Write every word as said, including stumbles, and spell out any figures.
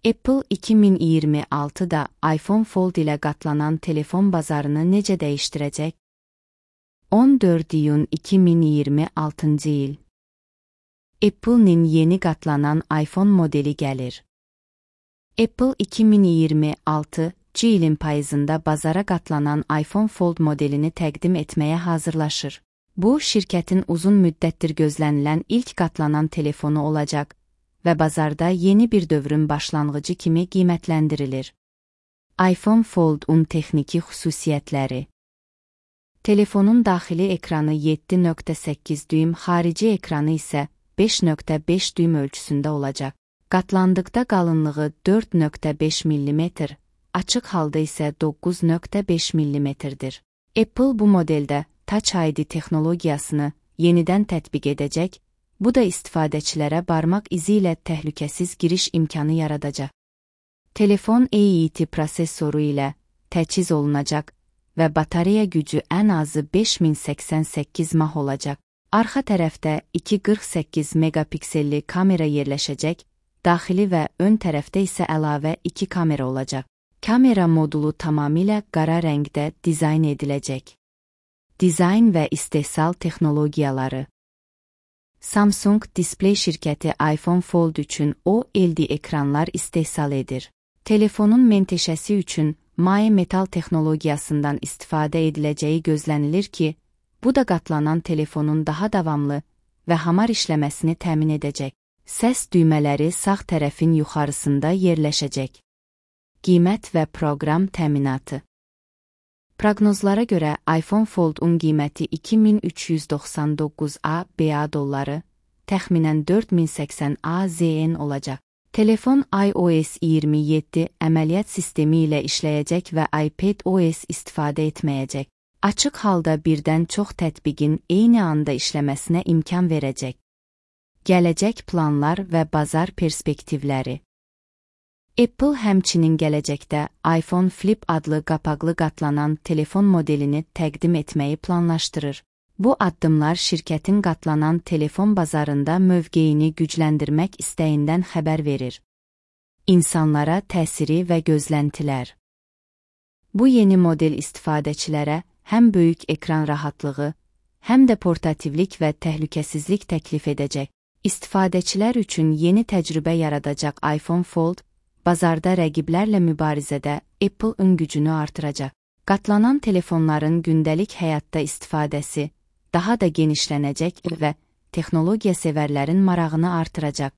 Apple iki min iyirmi altıda iPhone Fold ilə qatlanan telefon bazarını necə dəyişdirəcək? on dörd iyun iki min iyirmi altıncı il. Apple'nin yeni qatlanan iPhone modeli gəlir. Apple iki min iyirmi altıncı ilin payızında bazara qatlanan iPhone Fold modelini təqdim etməyə hazırlaşır. Bu, şirkətin uzun müddətdir gözlənilən ilk qatlanan telefonu olacaq və bazarda yeni bir dövrün başlanğıcı kimi qiymətləndirilir. iPhone Fold-un texniki xüsusiyyətləri. Telefonun daxili ekranı yeddi nöqtə səkkiz düym, xarici ekranı isə beş nöqtə beş düym ölçüsündə olacaq. Qatlandıqda qalınlığı dörd nöqtə beş millimetr, açıq halda isə doqquz nöqtə beş millimetrdir. Apple bu modeldə Touch I D texnologiyasını yenidən tətbiq edəcək, bu da istifadəçilərə barmaq izi ilə təhlükəsiz giriş imkanı yaradacaq. Telefon A E T prosesoru ilə təchiz olunacaq və batareya gücü ən azı beş min səksən səkkiz mah olacaq. Arxa tərəfdə iki yüz qırx səkkiz megapikselli kamera yerləşəcək, daxili və ön tərəfdə isə əlavə iki kamera olacaq. Kamera modulu tamamilə qara rəngdə dizayn ediləcək. Dizayn və istehsal texnologiyaları. Samsung Display şirkəti iPhone Fold üçün O L E D ekranlar istehsal edir. Telefonun menteşəsi üçün maye metal texnologiyasından istifadə ediləcəyi gözlənilir ki, bu da qatlanan telefonun daha davamlı və hamar işləməsini təmin edəcək. Səs düymələri sağ tərəfin yuxarısında yerləşəcək. Qiymət və proqram təminatı. Proqnozlara görə iPhone Fold-un qiyməti iki min üç yüz doxsan doqquz ABA dolları, təxminən dörd min səksən AZ N olacaq. Telefon iOS iyirmi yeddi əməliyyat sistemi ilə işləyəcək və iPadOS istifadə etməyəcək. Açıq halda birdən çox tətbiqin eyni anda işləməsinə imkan verəcək. Gələcək planlar və bazar perspektivləri. Apple həmçinin gələcəkdə iPhone Flip adlı qapaqlı qatlanan telefon modelini təqdim etməyi planlaşdırır. Bu addımlar şirkətin qatlanan telefon bazarında mövqeyini gücləndirmək istəyindən xəbər verir. İnsanlara təsiri və gözləntilər. Bu yeni model istifadəçilərə həm böyük ekran rahatlığı, həm də portativlik və təhlükəsizlik təklif edəcək. İstifadəçilər üçün yeni təcrübə yaradacaq iPhone Fold, bazarda rəqiblərlə mübarizədə Apple-ın gücünü artıracaq. Qatlanan telefonların gündəlik həyatda istifadəsi daha da genişlənəcək və texnologiya sevərlərin marağını artıracaq.